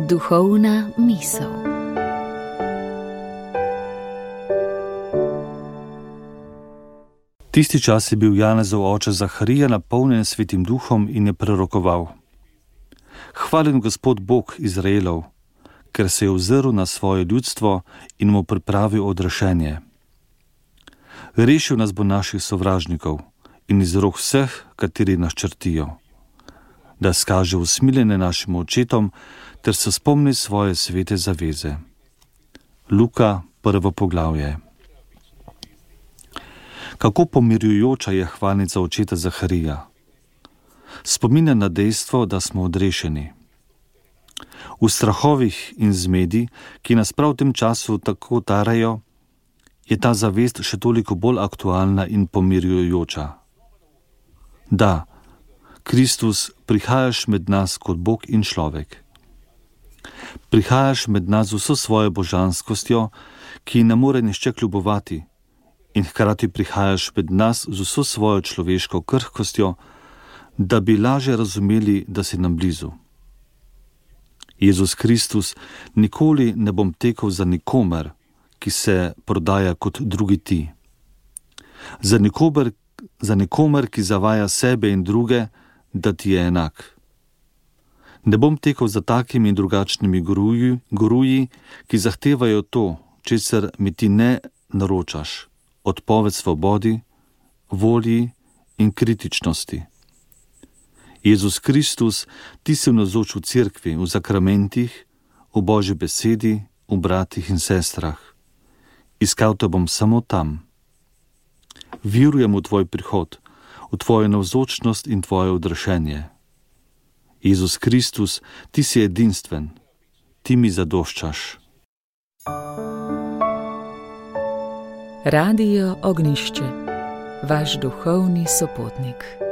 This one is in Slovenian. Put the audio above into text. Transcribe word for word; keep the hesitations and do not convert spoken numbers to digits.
Duhovna misel. Tisti čas je bil Janezov oče Zaharija napolnjen Svetim duhom in je prorokoval: Hvaljen Gospod Bog Izraelov, ker se je ozrl na svoje ljudstvo in mu pripravil odrešenje. Rešil nas bo naših sovražnikov in iz rok vseh, kateri nas črtijo, da skaže usmiljenje našim očetom ter se spomni svoje svete zaveze. Luka, prvo poglavje. Kako pomirjujoča je hvalnica očeta Zaharija. Spominja na dejstvo, da smo odrešeni. V strahovih in zmedi, ki nas prav v tem času tako tarajo, je ta zavest še toliko bolj aktualna in pomirjujoča. Da, Kristus, prihajaš med nas kot Bog in človek. Prihajaš med nas z vso svojo božanskostjo, ki ne more nišče kljubovati, in hkrati prihajaš med nas z vso svojo človeško krhkostjo, da bi lažje razumeli, da si nam blizu. Jezus Kristus, nikoli ne bom tekel za nikomer, ki se prodaja kot drugi ti. Za nikomer, za nikomer, ki zavaja sebe in druge, da ti je enak. Ne bom tekel za takimi in drugačnimi guruji, guruji, ki zahtevajo to, česar mi ti ne naročaš, odpoved svobodi, volji in kritičnosti. Jezus Kristus, ti si navzoč v cerkvi, v zakramentih, v Božji besedi, v bratih in sestrah. Iskal te bom samo tam. Verujem v tvoj prihod, v tvojo navzočnost in tvoje odrešenje. Jezus Kristus, ti si edinstven, ti mi zadoščaš. Radio Ognjišče, vaš duhovni sopotnik.